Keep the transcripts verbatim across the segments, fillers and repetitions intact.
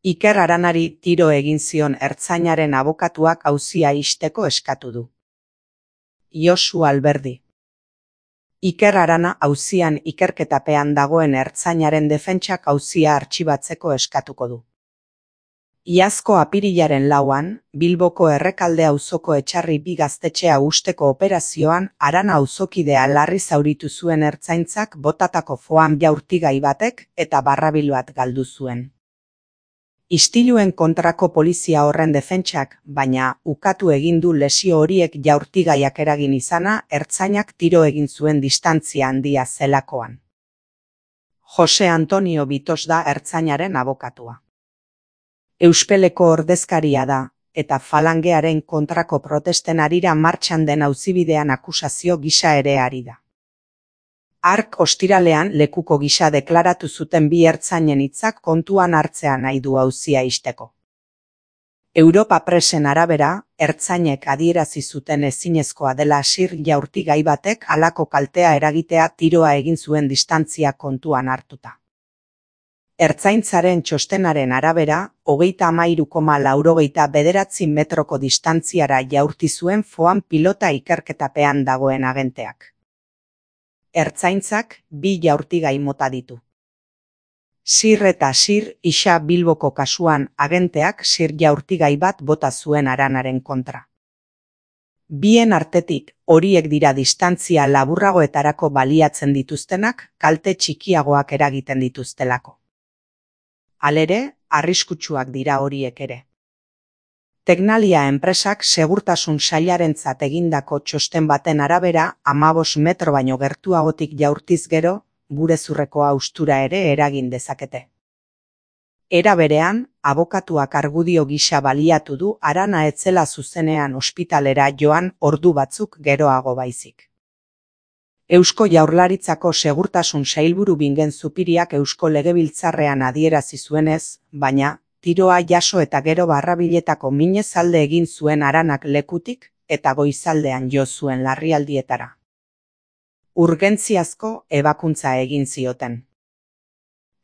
Iker Aranari tiro egin zion ertzainaren abokatuak auzia ixteko eskatu du. Josu Alberdi. Iker Arana auzian ikerketapean dagoen ertzainaren defentsak auzia artxibatzeko eskatuko du. Iazko apirilaren lauan, Bilboko Errekalde auzoko Etxarri bi gaztetxea husteko operazioan Arana auzokidea larri zauritu zuen ertzaintzak botatako foam jaurtigai batek eta barrabil bat galdu zuen. Istiluen kontrako polizia horren defentsak, baina ukatu egin du lesio horiek jaurtigaiak eragin izana ertzainak tiro egin zuen distantzia handia zelakoan. Jose Antonio Bitos da ertzainaren abokatua. Euspeleko ordezkaria da, eta falangearen kontrako protesten harira martxan den auzibidean akusazio gisa ere ari da. Hark ostiralean lekuko gisa deklaratu zuten bi ertzainen hitzak kontuan hartzea nahi du auzia ixteko. Europa Presen arabera, ertzainek adierazi zuten ezinezkoa dela sir jaurtigai batek halako kaltea eragitea tiroa egin zuen distantzia kontuan hartuta. Ertzaintzaren txostenaren arabera, hogeita hamairu koma laurogeita bederatzi metroko distantziara jaurti zuen foam pilota ikerketapean dagoen agenteak. Ertzaintzak bi jaurtigai mota ditu. Sir eta sir isa Bilboko kasuan agenteak sir jaurtigai bat bota zuen Aranaren kontra. Bien artetik, horiek dira distantzia laburragoetarako baliatzen dituztenak kalte txikiagoak eragiten dituztelako. Halere, arriskutsuak dira horiek ere. Teknalia enpresak segurtasun sailarentzat egindako txosten baten arabera hamabost metro baino gertuagotik jaurtiz gero, burezurreko haustura ere eragin dezakete. Era berean, abokatuak argudio gisa baliatu du Arana ez zela zuzenean ospitalera joan ordu batzuk geroago baizik. Eusko Jaurlaritzako segurtasun sailburu Bingen Zupiriak Eusko Legebiltzarrean adierazi zuenez, baina, tiroa jaso eta gero barrabiletako minez alde egin zuen Aranak lekutik eta goizaldean jo zuen larrialdietara. Urgentziazko ebakuntza egin zioten.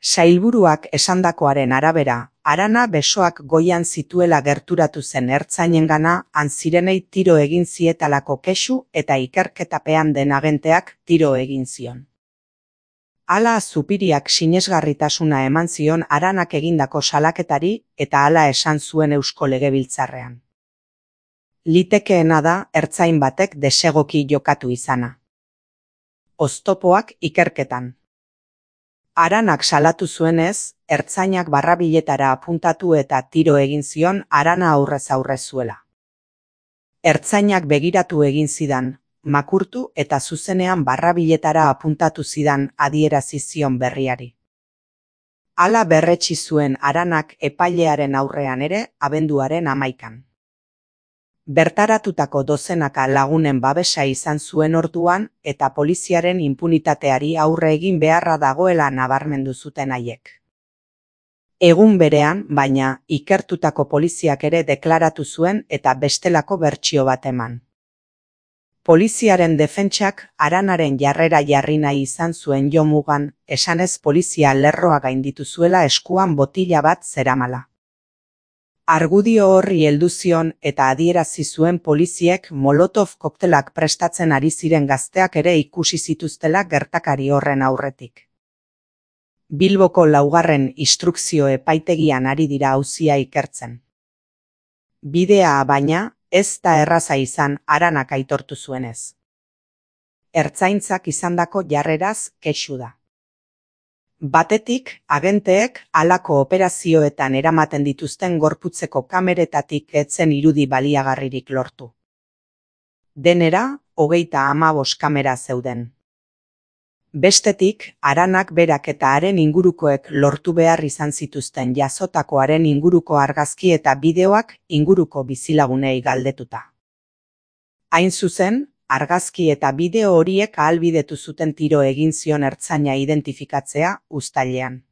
Sailburuak esandakoaren arabera, Arana besoak goian zituela gerturatu zen ertzainengana han zirenei tiro egin zietalako kexu eta ikerketapean den agenteak tiro egin zion. Hala Zupiriak sinesgarritasuna eman zion Aranak egindako salaketari eta hala esan zuen Eusko Legebiltzarrean. Litekeena da ertzain batek desegoki jokatu izana. Oztopoak ikerketan. Aranak salatu zuenez, ertzainak barrabiletara apuntatu eta tiro egin zion Arana aurrez aurre zuela. Ertzainak begiratu egin zidan, makurtu eta zuzenean barrabiletara apuntatu zidan adierazi zion berriari. Hala berretsi zuen Aranak epailearen aurrean ere abenduaren hamaikan. Bertaratutako dozenaka lagunen babesa izan zuen orduan eta poliziaren inpunitateari aurre egin beharra dagoela nabarmendu zuten haiek. Egun berean, baina, ikertutako poliziak ere deklaratu zuen eta bestelako bertsio bat eman. Poliziaren defentsak Aranaren jarrera jarri nahi izan zuen jomugan, esanez polizia lerroa gainditu zuela eskuan botila bat zeramala. Argudio horri heldu zion eta adierazi zuen poliziek Molotov koktelak prestatzen ari ziren gazteak ere ikusi zituztela gertakari horren aurretik. Bilboko laugarren instrukzio epaitegian ari dira auzia ikertzen. Bidea baina, ez da erraza izan Aranak aitortu zuenez. Ertzaintzak izandako jarreraz kexu da. Batetik, agenteek halako operazioetan eramaten dituzten gorputzeko kameretatik etzen irudi baliagarririk lortu. Denera, hogeita hamabost kamera zeuden. Bestetik, Aranak berak eta haren ingurukoek lortu behar izan zituzten jasotakoaren inguruko argazki eta bideoak inguruko bizilagunei galdetuta. Hain zuzen, argazki eta bideo horiek ahalbidetu zuten tiro egin zion ertzaina identifikatzea uztailean.